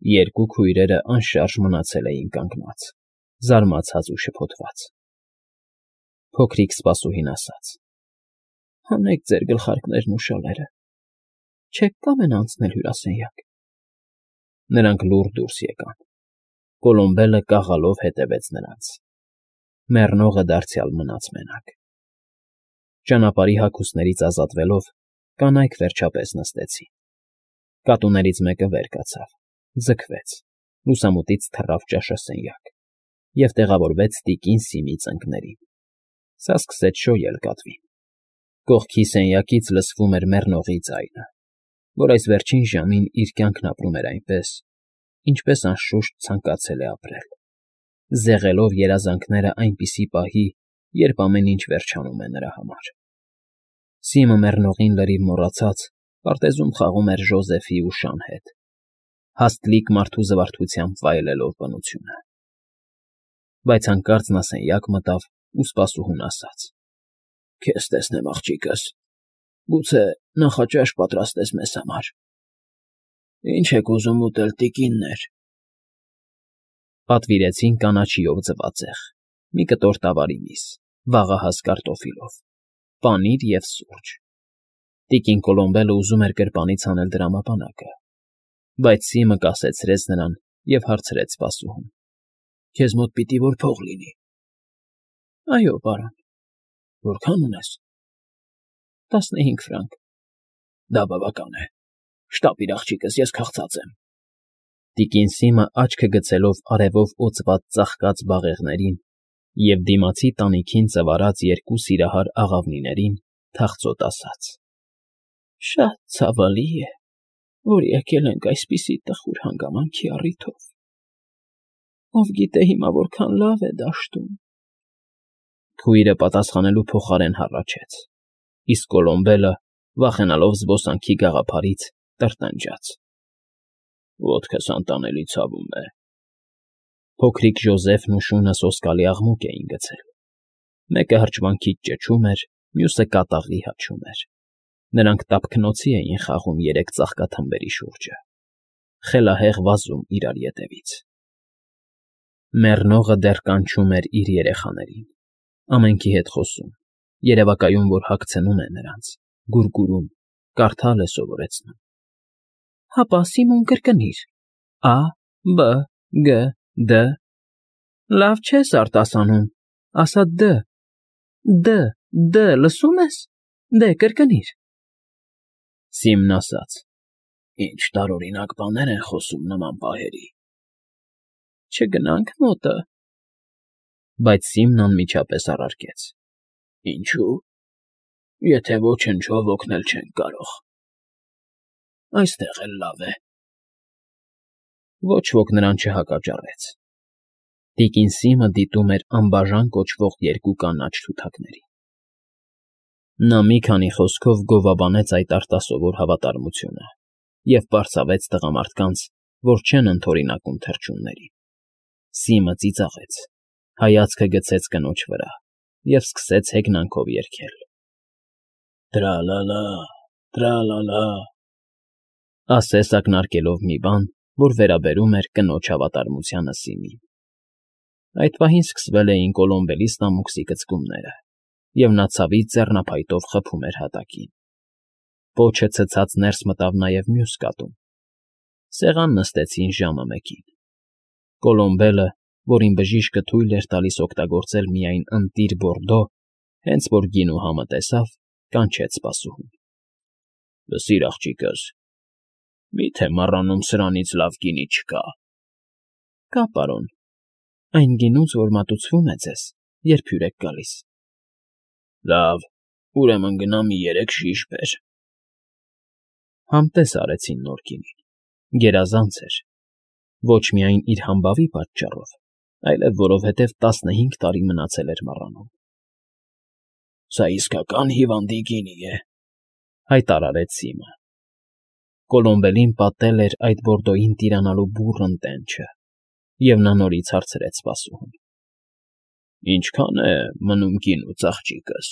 Երկու քույրերը անշարժ մնացել էին կանգնած, զարմացած ու շփոթված։ Փոքրիկ սպասուհին ասաց. «Հանեք ձեր գլխարկներն ու շալերը, չեք կամենա անցնել հյուրասենյակ»։ Նրանք լուռ դուրս եկան։ Կոլոմբելը կաղալով հետևեց նրանց։ Մեռնողը դարձյալ մնաց մենակ։ Ճանապարհի հագուստներից ազատվելով՝ կանայք վերջապես նստեցին։ Կատուներից մեկը վեր կացավ, ձգվեց, լուսամուտից թռավ ճաշասենյակ և տեղավորվեց տիկին Սիմի ծնկներին։ Սա սկսեց շոյել կատվին։ Կողքի սենյակից լսվում էր մեռնողի ձայնը, որ այս վերջին ժամին իր կյանքն ապրում էր այնպես, ինչպես անշուշտ ցանկացել է ապրել, զեղելով երազանքները այնպիսի պահի, երբ ամեն ինչ վերջանում է նրա համար։ Սիմը մեռնողին լրիվ մոռացած պարտեզում խաղում էր Ժոզեֆի ու Շան հետ, հաստլիկ մարդու զվարթությամբ վայելելով բնությունը։ Բայց հանկարծ նա սենյակ մտավ ու սպասուհուն ասաց. «Քեզ տեսնեմ, աղջիկս, գուցե նախաճաշ պատրաստես մեզ համար»։ «Ինչ եք ուզում ուտել, տիկիններ»։ Պատվիրեցին կանաչիով ձվածեղ, մի կտոր տավարի միս, վաղահաս կարտոֆիլով, պանիր և սուրճ։ Տիկին Կոլոմբելը ուզում էր գրպանից հանել դրամապանակը, բայց Սիմը կասեցրեց նրան և հարցրեց սպասուհուն. «Քեզ մոտ պիտի որ փող լինի»։ «Այո, պարոն»։ «Որքան ունես»։ 15 ֆրանկ։ «Դա բավական է։ Շտապիր, աղջիկս, ես քաղցած եմ»։ Տիկին Սիմը աչքը գցելով արևով օծված ծաղկած բաղեղներին և դիմացի տանիքին ծվարած երկու սիրահար աղավնիներին, թախծոտ ասաց. «Շատ ցավալի է, որ եկել ենք այսպիսի տխուր հանգամանքի առիթով։ Ով գիտե հիմա որքան լավ է դաշտում»։ Քույրը պատասխանելու փոխարեն հառաչեց, իսկ Կոլոմբելը, վախենալով զբոսանքի գաղափարից, տրտնջաց. «Ոտքս անտանելի ցավում է»։ Փոքրիկ Ժոզեֆն ու Շունը սոսկալի աղմուկ էին գցել։ Մեկը հրճվանքից ճչում էր, մյուսը կատաղի հաչում էր։ Նրանք տափկնոցի էին խաղում երեք ծաղկաթմբերի շուրջը, խելահեղ վազում իրար ետևից։ Մեռնողը դեռ կանչում էր իր երեխաներին, ամենքի հետ խոսում, երևակայում, որ հագցնում է նրանց, գուրգուրում, կարդալ է սովորեցնում։ «Հապա, Սիմոն, կրկնիր. Ա, Բ, Գ, Դ»։ «Լավ չես արտասանում, ասա Դ, Դ, լսում ես, դե կրկնիր»։ Սիմն ասաց. «Ինչ տարօրինակ բաներ են խոսում նման պահերի»։ «Չգնա՞նք մոտը»։ Բայց Սիմն անմիջապես առարկեց. «Ինչո՞ւ, եթե ոչնչով օգնել չենք կարող։ Այստեղ էլ լավ է»։ Ոչ ոք նրան չհակաճառեց։ Տիկին Սիմը դիտում էր անբաժան կոչվող երկու կանաչ թութակներին։ Նա մի քանի խոսքով գովաբանեց այդ արտասովոր հավատարմությունը և պարզավեց տղամարդկանց, որ չեն ընդօրինակում թռչուններին։ Սիմը ծիծաղեց, հայացքը գցեց կնոջ վրա և սկսեց հեգնանքով երգել. «Տրա֊լա֊լա, տրա֊լա֊լա», ասես ակնարկելով մի բան, որ վերաբերում էր կնոջ հավատարմությանը Սիմին։ Այդ պահին սկսվել էին Կոլոմբելի ստամոքսի կծկումները, և նա ցավից ձեռնափայտով խփում էր հատակին։ Պոչը ցցած ներս մտավ նաև մյուս կատուն։ Սեղան նստեցին ժամը մեկին։ Կոլոմբելը, որին բժիշկը թույլ էր տալիս օգտագործել միայն ընտիր բորդո, հենց որ գինու համը տեսավ, կանչեց սպասուհուն. «Լսիր, աղջիկս, մի՞թե մառանում սրանից լավ գինի չկա»։ «Կա, պարոն, այն գինուց, որ մատուցվում է ձեզ, երբ հյուր եք գալիս»։ «Լավ, ուրեմն գնա մի 3 շիշ բեր»։ Համտես արեցին նոր գինին։ Գերազանց էր։ Ոչ միայն իր համբավի պատճառով, այլև որովհետև 15 տարի մնացել էր մառանում։ «Սա իսկական հիվանդի գինի է», հայտարարեց Սիմը։ Կոլոմբելին պատել էր այդ բորդոյին տիրանալու բուռն տենչը, և նա նորից հարցրեց սպասուհուն. «Ինչքա՞ն է մնում գինուց, աղջիկս»։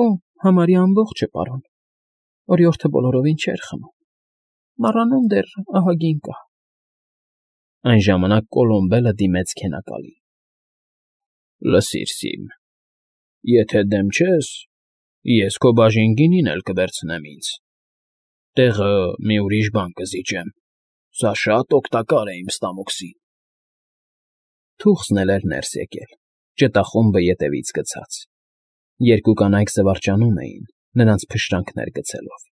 «Օ, համարյա ամբողջը, պարոն, օրիորդը բոլորովին չէր խմում»։ Մառանում դեռ ահագին կա։ Այն ժամանակ Կոլոմբելը դիմեց քենակալին։ Լսիր, Սիմ, եթե դեմ չես, ես քո բաժին գինին էլ կվերցնեմ ինձ, տեղը մի ուրիշ բան կզիջեմ, սա շատ օգտակար է իմ ստամոքսին։ Թուխսն էլ էր ներս եկել, ճտախումբը ետևից գցած։ Երկու կանայք զվարճանում էին, նրանց փշրանքներ գցելով։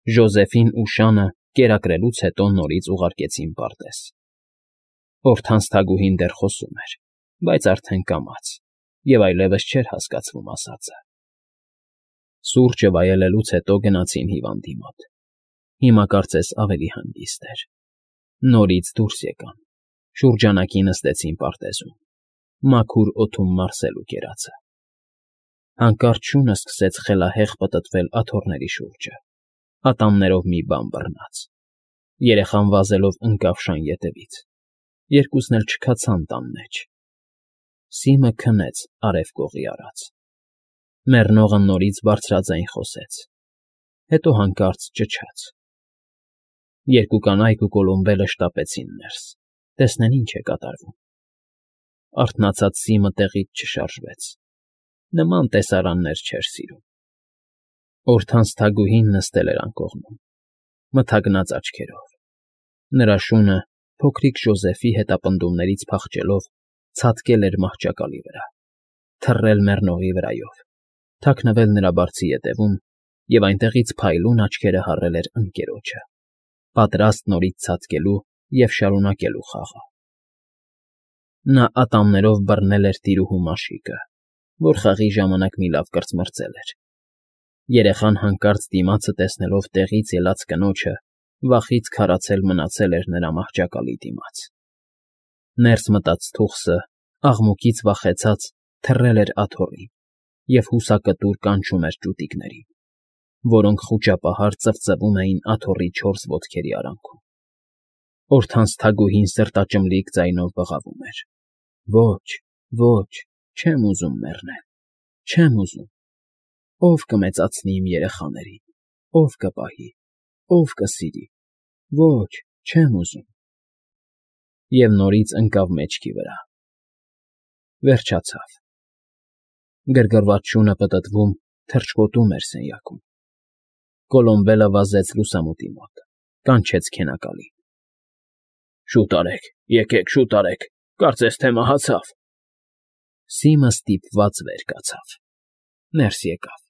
Ժոզեֆին ու Շանը կերակրելուց հետո նորից ուղարկեցին պարտեզ։ Օրթանց թագուհին դեռ խոսում էր, բայց արդեն կամաց, և այլևս չէր հասկացվում ասածը։ Սուրճը վայելելուց հետո գնացին հիվանդի մոտ։ Հիմա կարծես ավելի հանգիստ էր։ Նորից դուրս եկան, շուրջանակի նստեցին պարտեզում, մաքուր օդում մարսելու կերածը։ Հանկարծ շունը սկսեց խելահեղ պտտվել աթոռների շուրջը, ատամներով մի բան բռնած։ Երեխան վազելով ընկավ Շան ետևից։ Երկուսն էլ չքացան տան մեջ։ Սիմը քնեց արև կողի արած։ Մեռնողը նորից բարձրաձայն խոսեց, հետո հանկարծ ճչաց։ Երկու կանայք ու Կոլոմբելը շտապեցին ներս, տեսնեն ինչ է կատարվում։ Արթնացած Սիմը տեղից չշարժվեց, նման տեսարաններ չէր սիրում։ Օրթանց թագուհին նստել էր անկողնում, մթագնած աչքերով։ Նրա շունը, փոքրիկ Ժոզեֆի հետապնդումներից փախչելով, ցատկել էր մահճակալի վրա, թռել մեռնողի վրայով, թաքնվել նրա բարձի ետևում և այնտեղից փայլուն աչքերը հառել էր ընկերոջը, պատրաստ նորից ցատկելու և շարունակելու խաղը։ Նա ատամներով բռնել էր տիրուհու մաշիկը, որ խաղի ժամանակ մի լավ կրծմրծել էր։ Երեխան հանկարծ դիմացը տեսնելով տեղից ելած կնոջը, վախից քարացել մնացել էր նրա մահճակալի դիմաց։ Ներս մտած թուխսը, աղմուկից վախեցած, թռել էր աթոռին և հուսակտուր կանչում էր ճուտիկներին, որոնք խուճապահար ծվծվում էին աթոռի 4 ոտքերի արանքում։ Օրթանց թագուհին սրտաճմլիկ ձայնով բղավում էր. Ոչ, ոչ, չեմ ուզում մեռնել, չեմ ուզում։ Ո՞վ կմեծացնի իմ երեխաներին, ո՞վ կպահի, ո՞վ կսիրի։ Ոչ, չեմ ուզում։ Եվ նորից ընկավ մեջքի վրա։ Վերջացավ։ Գրգռված շունը պտտվում, թռչկոտում էր սենյակում։ Կոլոմբելը վազեց լուսամուտի մոտ, կանչեց քենակալին։ Շուտ արեք, եկեք, շուտ արեք, կարծես թե մահացավ։ Սիմը ստիպված վեր կացավ, ներս եկավ։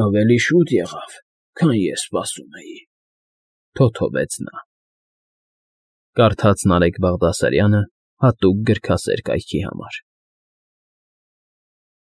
Ավելի շուտ եղավ, քան ես սպասում էի, թոթովեց նա։ Կարդաց Նարեկ Բաղդասարյանը հատուկ գրքասեր կայքի համար։